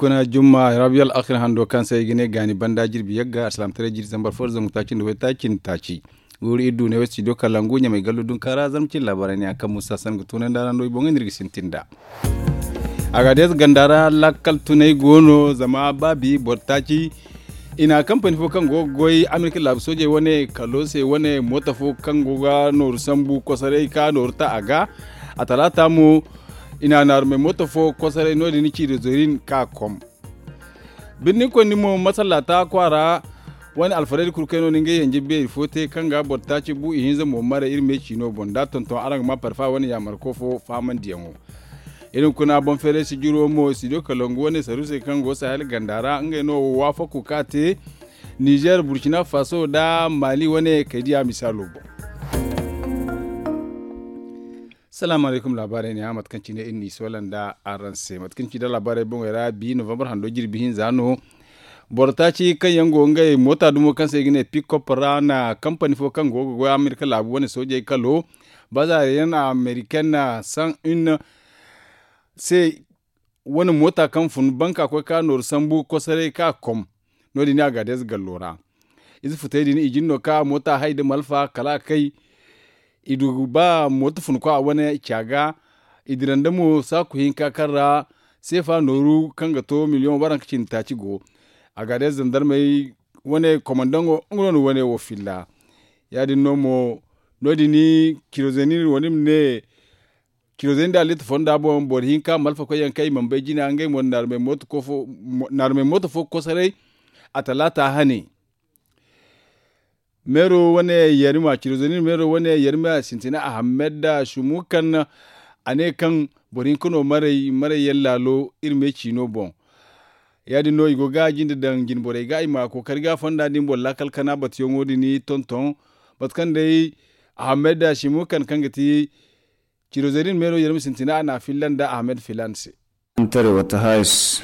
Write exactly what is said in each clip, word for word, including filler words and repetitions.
Kuna jumma rabiya al'akhir hando kaŋ se i ga ne gaani banda jirbi yagga alsilaamataray jiri zambar fo da zangu taaci nda waytaaci nda taaci. Guuru iri du ne wo studio kalangu ɲamay gallo dunkaara zarma cine laabaarey ne yaŋ kaŋ muusa san ga tunandi a ra no i boŋey no iri ga sintin nd'a. Agadeez ganda ra lakkal tunay go no zama baabi boro taaci i na kampani fo kaŋ go ga goy amerika laabu soojey wane kalo se wane moota fo kaŋ go ga nooru sambu kosoray ka nooru ta a ga. A talaata mo i na naarumey moota fo kosoray no- din ciido zorin ka kom. Birni koyndi mo masallaata kwaara wane alfarayda kulu kaŋ yaŋ no na ngey yanje beeri fo te kaŋ ga boro taaci bu ihinza mo maray iri me ciino boŋ da tonton araŋ ga ma parfa wane yaamarko fo faamandiyaŋo. Iri hunkuna boŋ feeray sijiro mo studio kalangu wane saruusey kaŋ go sahel ganda ra ngey no wo waafaku ka te nizer burkina faso nda mali wane kaydiya misaalo boŋ. Salaamu alaykum laabaarey ne ya mate kaŋ cine iri n'i soola nda araŋ se mate kaŋ ci nda laabaarey boŋey ra bi novambar hando jirbi hinza no. Boro taaci kaŋ yaŋ go ngey moota dumo kaŋ se i ga ne pikop ra na kampani fo kaŋ go ga goy amerika laabu wane soojey kalo bazaariyaŋ amerikaine san une se wane moota kaŋ fun banka koy ka nooru sambu kosoray ka kom. No- din a ga deeze gallo ra ize futey din i jin no ka moota hay nda malfa kala a kay. I du ba moota fun kwa wane ca ga i dira nda mo saaku hinka kaŋ ra seefa nooru kaŋ ga to miliyoŋ waranka cindi taaci go. A ga day zandarmey wane komandaŋo nga no na wane wo filla. Ya- din no mo no- din kirozenin wane ma ne kirozenin da alitta fonda boŋ boro hinka malfa koy yaŋ kaŋ i mana bay jina ngey mo naarumey moota fo kosoray. A talaata hane meero wane yarima cirozenin meero wane yarima sintina ahamed da sumu kaŋ a ne kaŋ boro hinka no maray maray yaŋ laalo iri me ciino boŋ. Ya- din no i go ga jinde daŋ jine borey ga i ma kookari ga fonda din boŋ laakal kana batuyaŋo din tonton mate kaŋ day ahamed da sumu kaŋ kaŋ ga ti cirozenin meero yarima sintina a na a filla nda ahamed filan se.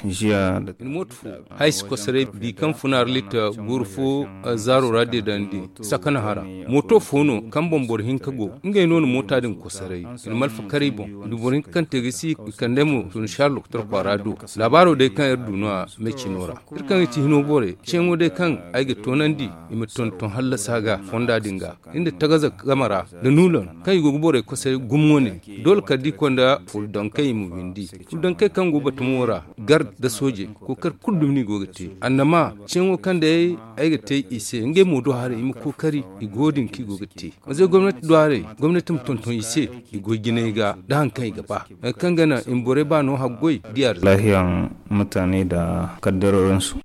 Iri mooto fo haysi kosoray bi kaŋ fun arlit guuru fo zaaro ra deedandi sakana hara mooto fo no kaŋ boŋ boro hinka go ngey no na moota din kosoray. Iri malfa karay boŋ iri boro hinka kaŋ te ga si i kandey mo tun sharlo tara kwaara do. Laabaaro day kaŋ iri du no- ya me cino ra iri kaŋ i ti hino borey ceeyaŋo day kaŋ ay ga toonandi i ma tonton hallasa ga fonda din ga iri nda tagaza game ra nda nuulan kaŋ i go ga borey kosoray gumo wane. Doole kala da i konda furdankey i ma windi furdankey kaŋ go batumo ra gar nda soojey kookari kulu dumi no i go ga te annama ceeyaŋo kaŋ day ay ga te i se ngey mo do haray i ma kookari i go din kaŋ i go ga te. Mazey gomnati do haray gomnati ma tonton i se i goy jinay ga nda hari kaŋ i ga ba hari kaŋ ga naŋ i ma borey ba no haggoy diya ra. Laahiyaŋ mutane da kaddaro ransu.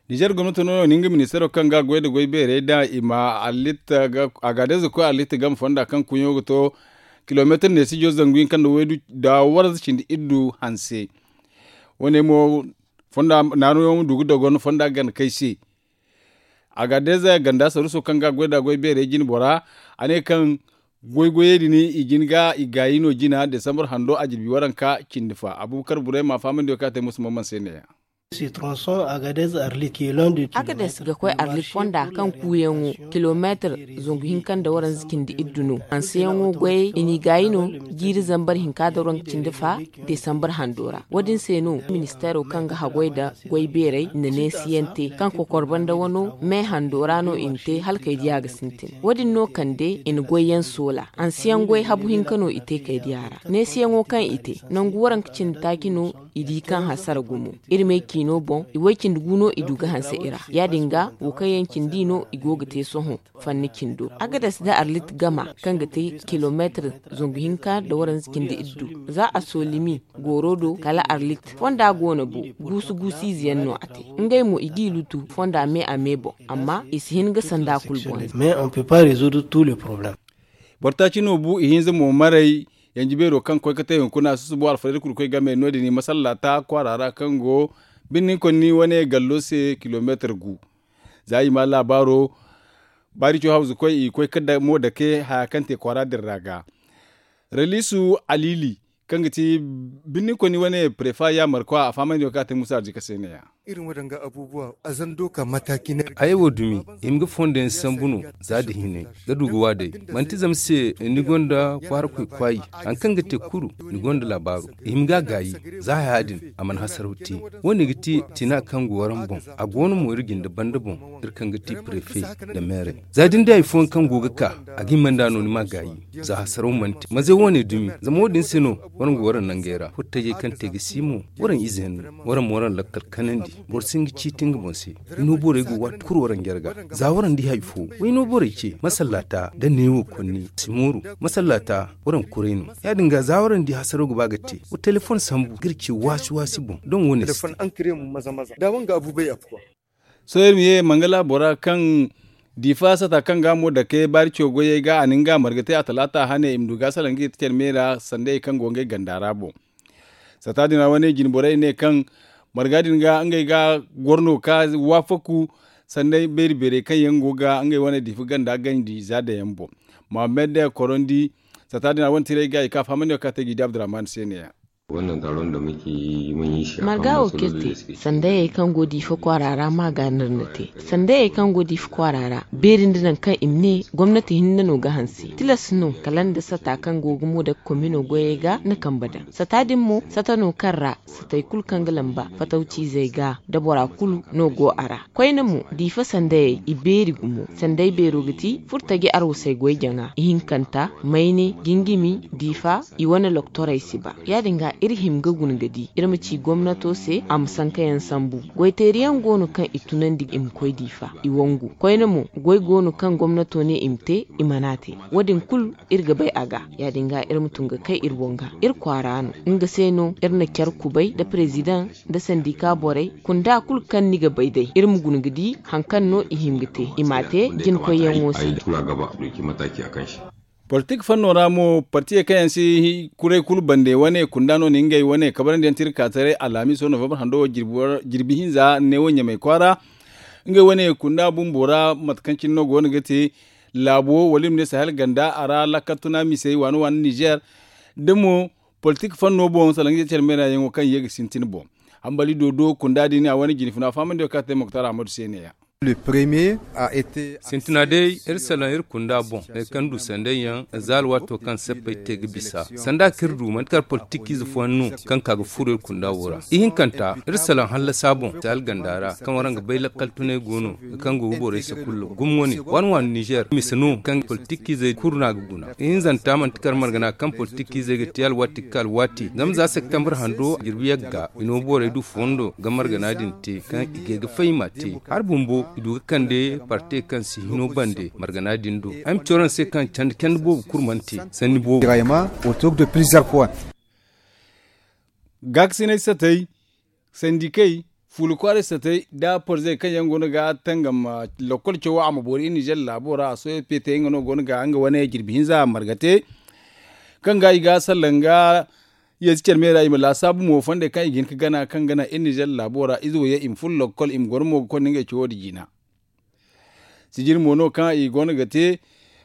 Nizer gomnato no no nga ministaro kaŋ ga goy nda goy beerey da i ma a ga day za koy alitta game fonda kaŋ kuɲo ga to kilomeetir neesijo zangu hinka nda waydu da waranza cindi iddu hanse. Wane mo fonda naaruyaŋo ma du ga dogon fonda gana kay se. A ga day za ganda saruso kaŋ ga goy nda goy beerey jine bora a ne kaŋ goy goyey din i jin ga i gaayi no jina desambar hando a jirbi waranka cindi fa abubakar burema fahamandi wo kaŋ a te musu mamman se ne ya. Agades ga koy arlit fonda kaŋ kuuyaŋo kilomeetir zangu hinka nda waranza cindi iddu no hanseyaŋo goyey i n'i gaayi no jiiri zambar hinka nda waranka cindi fa desambar hando ra wo- din se no ministeero kaŋ ga haggoy nda goy beerey nda neesiyaŋ te kaŋ kokor banda wano me hando ra no i na te hala kay diya ga sintin wo- din no kande i na goyyaŋ soola hanseyaŋ goy habu hinka no i te kay diya ra neesiyaŋo kaŋ i te nangu waranka cindi taaci no i di kaŋ hasara gumo iri me ciino boŋ i way cindi gu no i du ga hanse i ra ya- din ga wo kaŋ yaŋ cindi no i go ga te sohõ fanni cindo agades nda arlit gama kaŋ ga te kilomeetir zangu hinka nda waranza cindi iddu za a soolimi gooro do kala arlit fonda go no bo guusu guusu ize yaŋ no a te ngey mo i g'i lutu fonda me a me boŋ amma i si hin ga sanda kulu boŋ. Mais on peut pas résoudre tous les problèmes. Boro taaci no bu ihinza mo maray yanji beero kaŋ koy ga te hunkuna susubo alfarayda kulu koy game no- din i masallaata kwaara ra kaŋ go birni konni wane gallo se kilomeetir gu. Za i ma laabaaro baarico hawzu koy i koy ga mo dake haya kaŋ te kwaara din ra ga. Raliisu alili kaŋ ga ti birni konni wane prefa yaamarkwa a fahamandi wo kaŋ a te musa arzika se ne- ya. Iri ma daŋ ga abubuwa a zando ka mataki na. Ay wo dumi i ma ga fondo yaŋ sambu no. Za da hinay ga du ga wa day. Manti zama se ni gonda kwaara koy kwaayi. Hari kaŋ ga te kulu ni gonda laabaaro. I ma ga a gaayi. Za haya din a mana hasaraw te. Wo- ne ga ti tina kaŋ go waraŋ boŋ. A go no mo iri jinde banda boŋ. Iri kaŋ ga ti prefe nda meerey. Za da ni di hari fooyaŋ kaŋ go ga ka, a ga hima nd'a no ni m'a gaayi. Za hasaraw mana te maze wo- ne dumi zama wo- din se no. Waraŋ go waraŋ nangey ra furtajey kaŋ te ga si mo. Waraŋ ize yaŋ no. Waraŋ ma waraŋ lakkal kanandi. Boro si hin ga ciiti nga boŋ se. Ino borey go waati kulu waraŋ jarga. Za waraŋ di hari fo. Wayno borey ce masallata da neewo konni si mooru. Masallata waraŋ kuray no. Ya- din ga za waraŋ di hasaraw ga ba ga te. Wa telefoŋ sambu ga iri ce waasi waasi boŋ. Doŋ wo- ne si te. Sohõ iri ma ye mangala bora kaŋ diifa sata kaŋ ga mo dake baari co goyey ga a na nga marga te a talaata hane i ma du ga salaŋ ga i te care me ra sanda hari kaŋ go ngey ganda ra boŋ. Sata din ra wane jine borey ne kaŋ marga din ga ngey ga goro no ka waafaku sanda beeri beerey kaŋ yaŋ go ga ngey wane diifa ganda ganji za daŋ yaŋ boŋ. Mohammed korondi sata din ra wane tiray ga i ka fahamandi no kaŋ a te ga i di abdurrahman se ne ya. Marga wo kaŋ iri te sandayey kaŋ go diifa kwaara ra ma ga no iri na te. Sandayey kaŋ go diifa kwaara ra beeri nda nangu kaŋ i ma ne gomnati hinne no ga hanse tilas no kala nda sata kaŋ go ga mo daga komino goyey ga na kambe daŋ sata din mo sata no kaŋ ra satey kulu kaŋ ga lamba fatawciizey ga nda bora kulu no go a ra. Koyne mo diifa sandayey i beeri gumo. Sanday beero ga ti furtaji arwasey goy jaŋa ihinkanta mayne jingimi diifa i wane loktorey si ba. Ya- din ga iri hima ga guna ga di iri ma ci gomnato se a ma sanka yaŋ sambu. Goyteeri yaŋ go no kaŋ i tunandi i ma koy diifa i wangu koyne mo goy go no kaŋ gomnato ne i ma te i mana te. Wo- din kulu iri ga bay a ga. Ya- din ga iri ma tun ga kay iri wanga iri kwaara no. Nga se no iri na care kubay nda perezidaŋ nda sandika borey kunda kulu kaŋ ni ga bay day iri ma guna ga di hari kaŋ no i hima ga te i m'a te jinkoyyaŋo se. Politik fanno ra mo partiyey kaŋ yaŋ si kuray kulu bande wane kunda no na ngey wane kabarandi yaŋ te iri ka taray alhamiso novembre hando wo jirbi hinza neewo ɲamay kwaara. Ngey wane kunda bumbo ra mate kaŋ cine no go no ga te laabo wala i ma ne sahel ganda a ra lakkal tuna misey waani waani nizer da mo politik fanno boŋ salaŋ ga care meera yaŋo kaŋ ye ga sintin boŋ. Hambali dodo kunda din a wane jine funa fahamandi wo kaŋ a te moktar ahmadu se ne ya. Sintina day iri salaŋ iri kunda boŋ hari kaŋ du sanday yaŋ za alwaato kaŋ sappey te ga bisa sanda kaŋ iri du manti kala politikiize fooyaŋ no kaŋ ka ga furo iri kunda wo ra ihinkanta iri salaŋ hallasa boŋ se alganda ra kaŋ waraŋ ga bay lakkal tunay go no kaŋ go ga borey sakullo gumo wane waani waani nizer mise no kaŋ politikiizey kulu no a ga guna ihinzanta manti kala margana kaŋ politikiizey ga te alwaati ga ka alwaati zama za septembre hando jirbi yagga i no borey du fondo ga margana din te kaŋ i ga ga fay i m'a te hari bumbo i du ga kande parte kaŋ si hino bande margana din do ay ma ci waraŋ se kaŋ candi candi boobo kulu mana te sanni boobo. Gaakasinay satay sandikey fuula kwaaray satay nda porzey kaŋ yaŋ go no ga tangam lakkol cawo a ma boori iri nizer laabo ra a sohõ pete nga no go no ga nga wane jirbi hinza marga te kaŋ ga i ga salaŋ ga yeesi care me ra i ma laasaabu mo fondey kaŋ i ga hin ga gana kaŋ gana iri nizer laabo ra ize wo ye i ma furo lakkol i ma goro mo ga konda ngey cawo nda jiina. Sijiri mo no kaŋ i go no ga te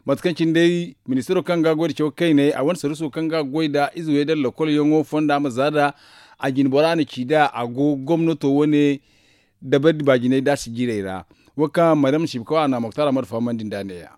mate kaŋ cine day ministiro kaŋ ga goy nda caw kayney a wane saruso kaŋ ga goy nda ize wey nda lakkol yaŋo fonda ma za nd'a a jine bora na ci nd'a a go gomnato wane dabari baajinay nda a sijirey ra. Wo kaŋ maryam sibkaw a na moktar ahmad fahamandi nd'a ne- ya.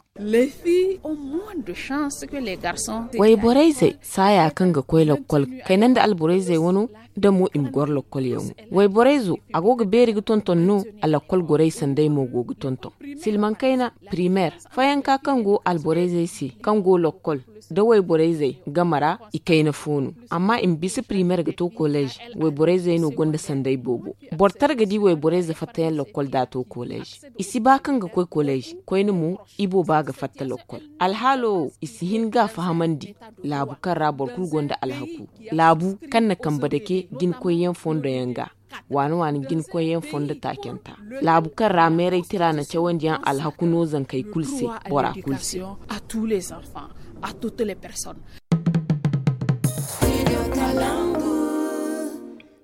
Wayborey zey saaya kaŋ ga koy lakkol kayna nda alborey zey wano da mo i ma goro lakkol yaŋo. Wayborey zo a go ga beeri ga tonton no a lakkol gorey sanday mo go ga tonton. Silmaŋ kayna primer fayanka kaŋ go alborey zey se kaŋ go lakkol da wayborey zey game ra i kayna fo no. Amma i ma bisa primer ga to kolej wayborey zey no gonda sanday boobo. Boro tara ga di wayborey ze fattayaŋ lakkol da a to kolej. I si ba kaŋ ga koy kolej koyne mo i booba ga fatta lakkol. Alhaalo wo i si hin ga a fahamandi laabu kaŋ ra boro kulu gonda alhaku laabu kaŋ na kambe dake jinkoyyaŋ fondo yaŋ ga waani waani jinkoyyaŋ fondo taacanta laabu kaŋ ra meeray tira na cawandi yaŋ alhaku no zankey kulu se bora kulu se.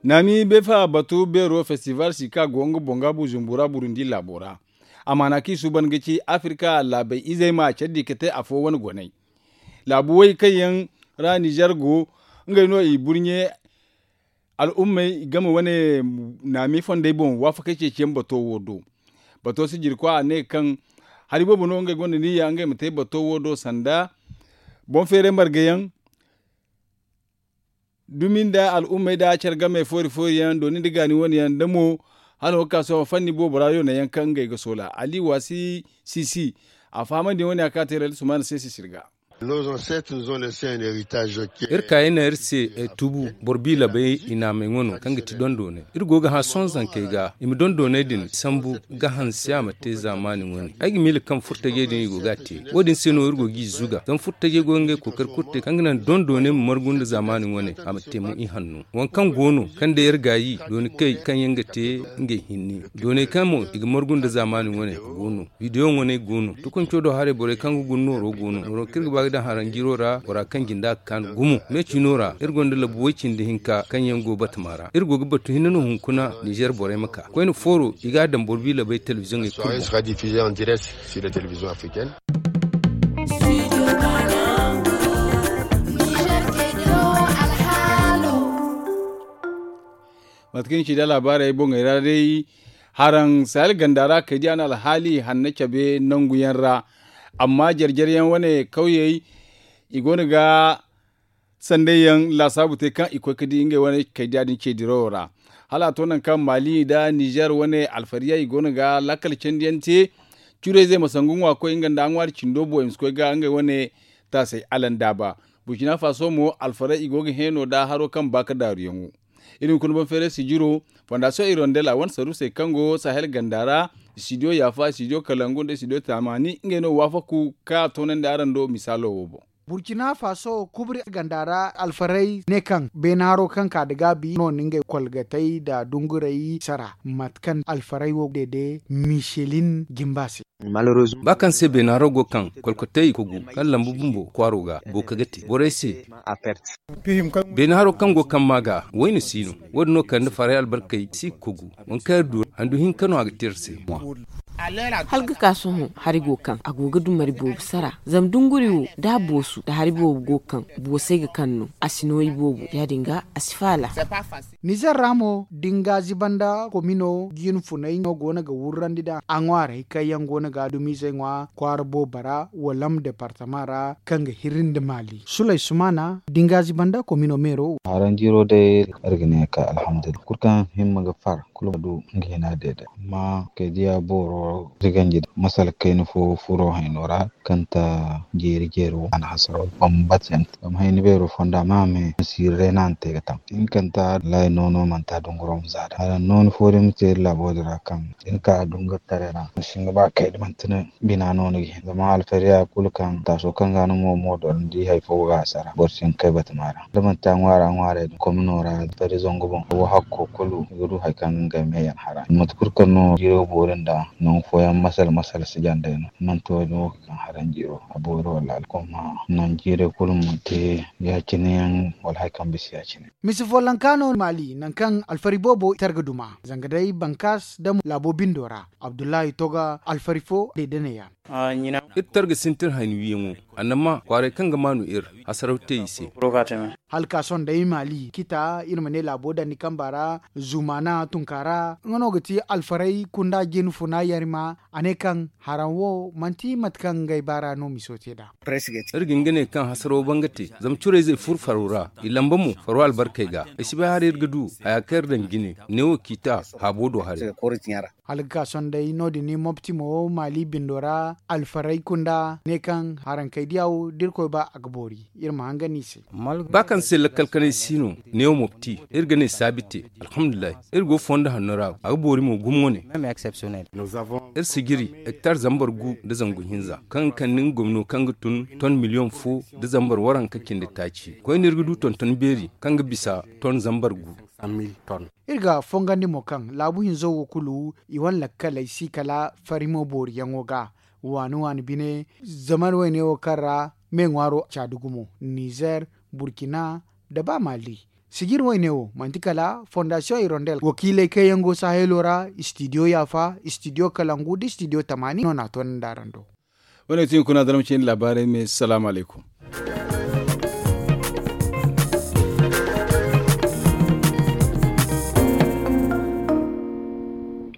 Naami beefa batu beero festival si ka go nga boŋ ga bujumbura burundi laabo ra. Amaana kaŋ i suuban ga ci afirka laabey izey ma care di ga te afo wane goney laabu way kaŋ yaŋ ra nizer go ngey no i burɲe. al'ummey game wane naami fondey boŋ waafakey ceeciyaŋ bato wo do. Bato sijirkwa a ne kaŋ hari boobo no ngey gonda niyya ngey ma te bato wo do sanda boŋ feeray margayaŋ, dumi nda al'ummey nda care game foori foori yaŋ dooni nda gaani wane yaŋ nda mo hala wo ga ka sohõ fanni boobo ra yoonayaŋ kaŋ ngey ga soola ali waasi sisi. A fahamandi wane a ka te rali sumaana se sisir ga. Iri kaayey naŋ iri se tubu boro biilabey i naamey ŋwa no kaŋ ga ti dondoonay. Iri go ga hã sohõ zankey ga i ma dondoonay din sambu ga hanse a ma te zaamaani wane ay ga miila kaŋ furtajey din i go ga a te. Wo- din se no iri go g'i zuga zama furtajey go ga ngey kookari kulu te kaŋ ga naŋ dondoonay ma margu nda zaamaani wane a ma te mo ihanno. Waŋ kaŋ go no kaŋ day iri gaayi dooni kay kaŋ yaŋ ga te ngey hinne dooney kaŋ mo i ga margu nda zaamaani wane go no. Bidiyo ŋwaney go no tukunco do haray borey kaŋ ga guna nooro go no nooro kaŋ iri ga ba ga daŋ haranjiro ra bora kaŋ jinda ga kaanu gumo me cino ra iri gonda labu way-cindi hinka kaŋ yaŋ go batama ra iri go ga batu hinne no hunkuna nizer borey ma ka koyne fooro i ga a daŋ boro biila bay telebiziyoŋey kulu boŋ. Mate kaŋ ni ci da laabaarey boŋey ra day haraŋ sahel ganda ra kay diya no alhaali hanno cabe nangu yaŋ ra. Amma jare jare yaŋ wane kawyey i go no ga sanday yaŋ laasaabu te kaŋ i koy ga di ngey wane kay diya din ce dirawo ra. Hala a to nangu kaŋ maali nda nizer wane alfariya i go no ga laakal candi yaŋ te. Curayzey ma sangu ŋwa ga koy nga nda a ŋwaari cindo boŋ i ma si koy ga ngey wane taasay alandaaba. Burkina faso mo alfaray i go ga heeno nda haro kaŋ ba ga daaru yaŋo. Iri hunkuna boŋ feeray sijiro fondasiyoŋ irondel a wane saruusey kaŋ go sahel ganda ra istidiyo yaafa istidiyo kalangu nda istidiyo taamaani ngey no waafaku kaŋ a toonandi araŋ do misaalo wo boŋ. Burkina faso kubri ganda ra alfaray ne kaŋ beene haro kaŋ ka nda gaabi no na ngey kolgatey nda dunguray sara mate kaŋ alfaray wo deede michelin jimba se. Ba kaŋ se beena haro go kaŋ kolkotey kogu kaŋ lambu bumbo kwaaro ga booka ga te borey se. Beena haro kaŋ go kaŋ maa ga wayna si no. Wo- din no kala nda faray albarkey si ga kogu waŋ kaŋ iri du handu hinka no a ga te iri se. Hala ga ka sohõ hari go kaŋ a go ga dumari boobo sara zama dunguri wo da a boosu da hari boobo go kaŋ boosey ga kaŋ no a si no iboobo ya- din ga a si faala. Nizer ra mo da ni ga ziba nda komino jiine funay no go no ga wurrandi nd'a a ŋwaarey kaŋ yaŋ go no ga dumizey ŋwa kwaara boobo ra walam departama ra kaŋ ga hiri nda maali suley sumaana da ni ga ziba nda komino meero wo. Haraŋ jiiro day iri ga ne ka alhamdulillahi kulu kaŋ himma ga far kulu ma du nga hina deede amma kay diya booro iri ganji masala kayna fo furo hayno ra kaŋ ta jeeri jeeri wo a na hasaro bambata yaŋ te zama hayni beero fonda ma me ma siiri day no a na te ga taŋ. Hinkanta lay noono manti a dunguro ma za da hala nooni fo day ma te iri laabo din ra kaŋ da ni ka dunguri taray ra ma si hin ga ba kay da manti ni bina no ni ga hin zama alfariya kulu kaŋ taaso kaŋ ga ni mo mo doro ni di hari fo ga a sara boro si hin ga kay batama ra da manti a ŋwaara ŋwaarey din komino ra alfari zangu boŋ wo hakko kulu i ga du hari kaŋ ga ngey me yaŋ hara mate kulu kaŋ no jiiro boori nda nangu fooyaŋ masala masala si jandey no manti wo- din wo ga kaŋ haraŋ jiiro a boori wala alkomma nangu jiirey kulu manti ya- cine yaŋ wala hari kaŋ bisa ya- cine. Misi follanka no maali nangu kaŋ alfari boobo tar ga duma zanga day bankaas da laabo bindo ra abdullahi toga alfari fo day da ne ya. Iri tar ga sintin hayni wiyaŋo annama kwaaray kaŋ ga maanu iri hasaraw te i se. Hala ka sohõ day maali kita iri ma ne laabo dandi kamba ra zumaana tunkaara nga no ga ti alfaray kunda jin funa yarima a ne kaŋ haraŋ wo manti mate kaŋ ngey baara no miso te nd'a. Iri ga hin ga ne kaŋ hasaraw banga te zama curayzey furo faro ra i lamba mo faro albarkey ga ay si bay haray iri ga du haya kaŋ iri daŋ jine neewo kiita haabo do haray. Hala ga ka sohõ day no- din ni mopti mo maali bindo ra alfaray kunda ne kaŋ harankey diya wo da irkoy ba a ga boori iri ma hangan i se. Ba kaŋ se lakkal kanay si no neewo mopti iri ga ne saabi te. Alhamdulillahi iri go fondo hanno ra a ga boori mo gumo wane. Iri sijiri hektar zambar gu nda zangu hinza kaŋ ga kande nga gomno kaŋ ga tun ton miliyoŋ fo nda zambar waranka cindi taaci koyne iri ga du tonton beeri kaŋ ga bisa ton zambar gu. Iri ga fongandi mo kaŋ laabu hinzo wo kulu i wane lakkaley si kala farimo booriyaŋo ga waani waani bine. Zaman wayne wo kaŋ ra me ŋwaaro caadi gumo nizer, burkina, nda ba maali. Sijir wayne wo manti kala fondasiyoŋ hirondel wakiiley kaŋ yaŋ go sahelo ra istidiyo yaafa istidiyo kalangu nda istidiyo tamaani no na a toonandi araŋ do. Wane ga ti hunkuna zarma cindi laabaarey me salaamu alaykum.